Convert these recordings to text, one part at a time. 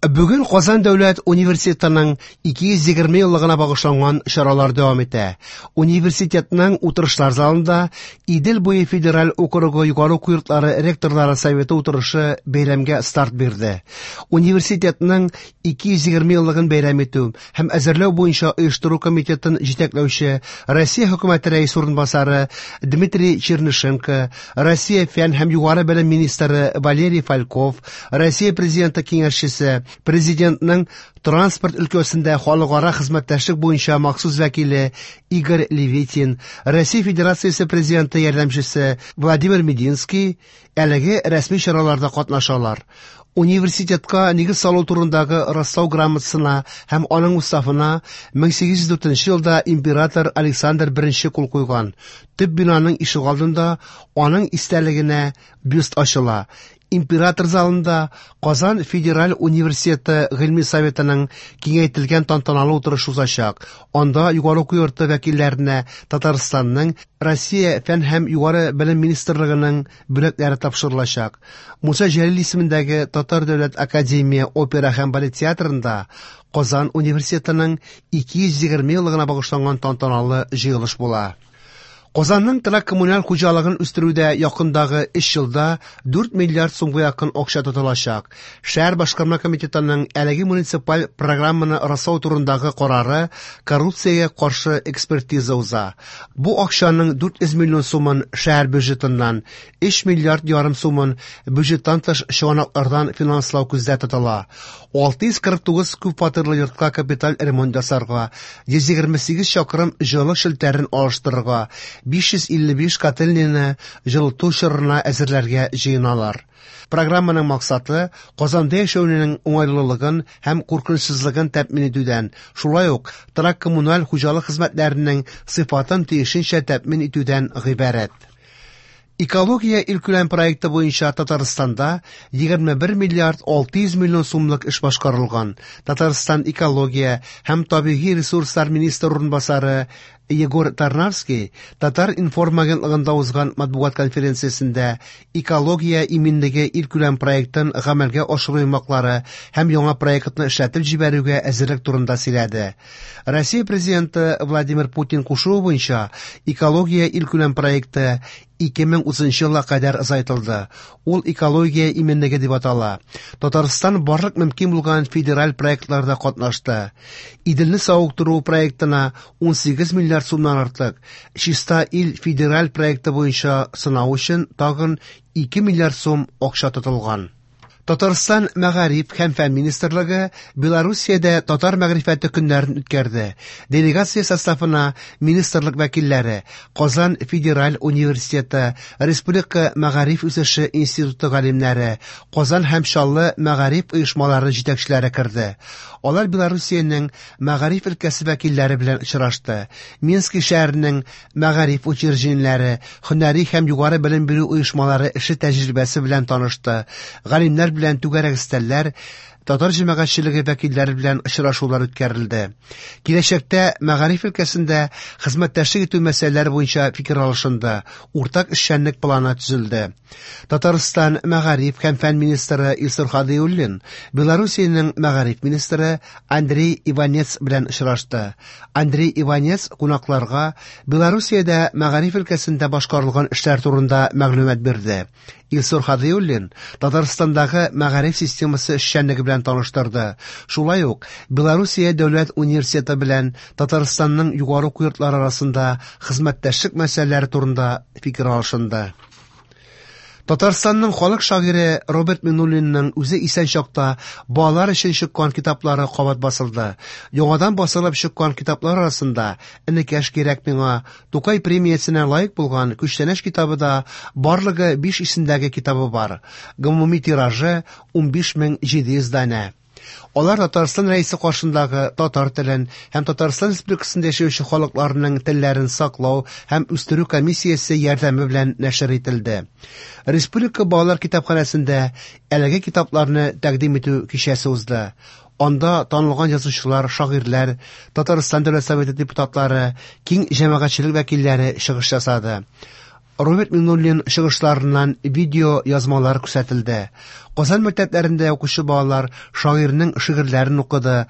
Бүген Казан дәүләт университетының 220 еллыгына багышланган чаралар дәвам итә. Университетның утырышлар залында Идел буе федераль округы югары уку йортлары ректорлары советы утырышы бәйрәмгә старт бирде. Университетның 220 еллыгын бәйрәм итү һәм әзерләү буенча оештыру комитетын җитәкләүче Россия хөкүмәте рәисе урынбасары Дмитрий Чернышенко, Россия фән һәм югары белем министры Валерий Фальков, Россия президенты киңәшчесе, президентның транспорт өлкәсендә халыкара хезмәттәшлек буенча махсус вәкиле Игорь Левитин, Россия Федерациясе президенты ярдәмчесе Владимир Мединский әлеге рәсми чараларда катнашалар. Университетка нигез салу турындагы раслау грамотасына һәм аның уставына 1804 елда император Александр I кул куйган. Төп бинаның ишегалдында аның истәлегенә бюст ачыла. Император залында Казан федераль университеты гыйльми советының киңәйтелгән тантаналы утырышы узачак. Анда югары уку йорты вәкилләренә Татарстанның Россия фән һәм югары белем министрлыгының бүләкләре тапшырылачак. Муса Җәлил исемендәге Татар дәүләт академия опера һәм балет театрында Казан университетының 220 еллыгына багышланган тантаналы җыелыш була. Казанның торак коммуналь хуҗалыгын үстерүдә якындагы 3 елда 4 миллиард сумга якын акча тотылачак. Шәһәр башкарма комитетының әлеге муниципаль программаны раслау турындагы карары коррупциягә каршы экспертиза уза. Бу акчаның 400 миллион сумын шәһәр бюджетыннан, 3 миллиард ярым сумын бюджеттан тыш чыганаклардан финанслау күздә тотыла. 649 күп фатирлы йортка капиталь ремонт ясарга, 128 чакрым җылылык челтәрен алыштырырга, 555 котельныйны җылыту чорына әзерләргә җыеналар. Программаның максаты Казанда яшәүнең уңайлылыгын һәм куркынычсызлыгын тәэмин итүдән, шулай ук торак коммуналь хуҗалык хезмәтләренең сыйфатын тиешенчә тәэмин итүдән гыйбарәт. Экология илкүләм проекты буенча Татарстанда 21 миллиард 600 миллион сумлык эш башкарылган. Татарстан экология һәм табигый ресурслар министры урынбасары Егор Тарнавский Татар-информ агентлыгында узган матбугат конференциясендә экология иминлеге илкүләм проектын гамәлгә ашыру йомгаклары һәм яңа проектны эшләтеп җибәрүгә әзерлек турында сөйләде. Россия президенты Владимир Путин кушуы буенча экология илкүләм проекты 2030 елга кадәр озайтылды. Ул экология иминлеге дип атала. Татарстан барлык мөмкин булган федераль проектларда катнашты. Иделне савыктыру проектына 18 миллиард сумнан артык, Чиста ил федераль проекты буенча сынау өчен тагын 2 миллиард сум акча тотылган. Татарстан мәгариф һәм фән министрлыгы Белоруссиядә татар мәгърифәте көннәрен үткәрде. Делегация составына министрлык вәкилләре, Казан федераль университеты, Республика мәгариф үсеше институты галимнәре, Казан һәм Чаллы мәгариф оешмалары җитәкчеләре керде. Алар Белоруссиянең мәгариф өлкәсе вәкилләре белән очрашты. Минск шәһәренең мәгариф учреждениеләре, һөнәри һәм югары белем бирү оешмалары эше тәҗрибәсе белән танышты. Галимнәр белән түгәрәк өстәлләр, татар җәмәгатьчелеге вәкилләре белән очрашулар үткәрелде. Киләчәктә мәгариф өлкәсендә хезмәттәшлек итү мәсьәләләре буенча фикер алышынды, уртак эшчәнлек планы төзелде. Татарстан мәгариф һәм фән министры Илсур Һадиуллин Белоруссиянең мәгариф министры Андрей Иванец белән очрашты. Андрей Иванец кунакларга Белоруссиядә мәгариф өлкәсендә башкарылган эшләр турында мәгълүмат бирде. Илсур Һадиуллин Татарстандагы мәгариф системасы эшчәнлеге белән таныштырды. Шулай ук Белоруссия дәүләт университеты белән Татарстанның югары уку йортлары арасында хезмәттәшлек мәсьәләләре турында фикер алышынды. Татарстанның халык шагыйре Роберт Миңнуллинның үзе исән чакта балалар өчен чыккан китаплары кабат басылды. Яңадан басылып чыккан китаплар арасында Энекәш кирәк миңа, Тукай премиясенә лаек булган Күчтәнәч китабы да барлыгы 5 исемдәге китабы бар. Гомуми тиражы 15700 данә. Алар Татарстан Рәисе каршындагы татар телен һәм Татарстан Республикасында яшәүче халыкларының телләрен саклау һәм үстерү комиссиясе ярдәме белән нәшер ителде. Республика балалар китапханәсендә әлеге китапларны тәкъдим итү кичәсе узды. Анда танылган язучылар, шагыйрьләр, Татарстан Дәүләт Советы депутатлары, киң җәмәгатьчелек вәкилләре чыгыш ясады. Роберт Миңнуллин чыгышларыннан видео язмалар күрсәтелде. Казан мәктәпләрендә укучы балалар шагыйрьнең шигырьләрен укыды.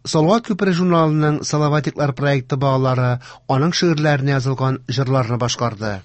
Салават күпере журналының Салаватиклар проекты балалары аның шигырьләренә язылган җырларны башкарды.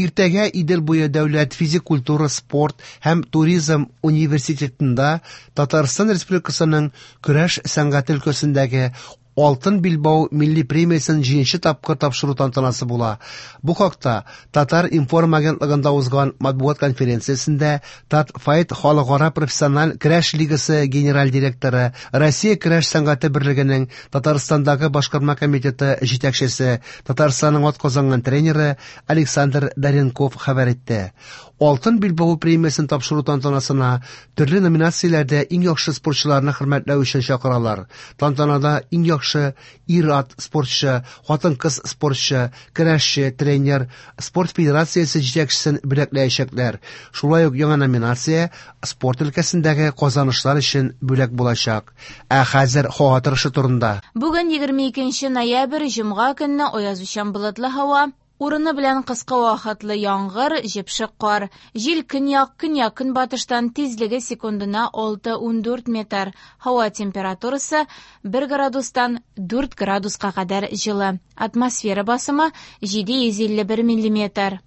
Иртәгә Идел буе дәүләт физик культура, спорт һәм туризм университетында Татарстан Республикасының көрәш сәнгате өлкәсендәге Алтын билбау милли премиясен җиденче тапкыр тапшыру тантанасы була. Бу хакта Татар-информ агентлыгында узган матбугат конференциясендә Татфайт халыкара профессиональ көрәш лигасы генераль директоры, Россия көрәш сәнгате берлегенең Татарстандагы башкарма комитеты җитәкчесе, Татарстанның атказанган тренеры Александр Даренков хәбәр итте. Алтын билбау премиясен тапшыру тантанасына төрле номинацияләрдә иң яхшы спортчыларны хөрмәтләү өчен чакыралар. Тантанада иң яхшы ир-ат спортчы, хатын-кыз спортчы, көрәшче, тренер, спорт федерациясе җитәкчесен бүләкләячәкләр. Шулай ук яңа номинация спорт өлкәсендәге казанышлар өчен бүләк булачак. Ә хәзер һава торышы турында. Бүген 22 ноябрь, җомга көнне аязучан болытлы һава, урыны белән кыска вакытлы яңгыр, җепшек кар. Җил көньяк, көньяк-көнбатыштан тизлеге секундына 6-14 метр. Һава температурасы 1 градустан 4 градуска кадәр җылы. Атмосфера басымы 751 миллиметр.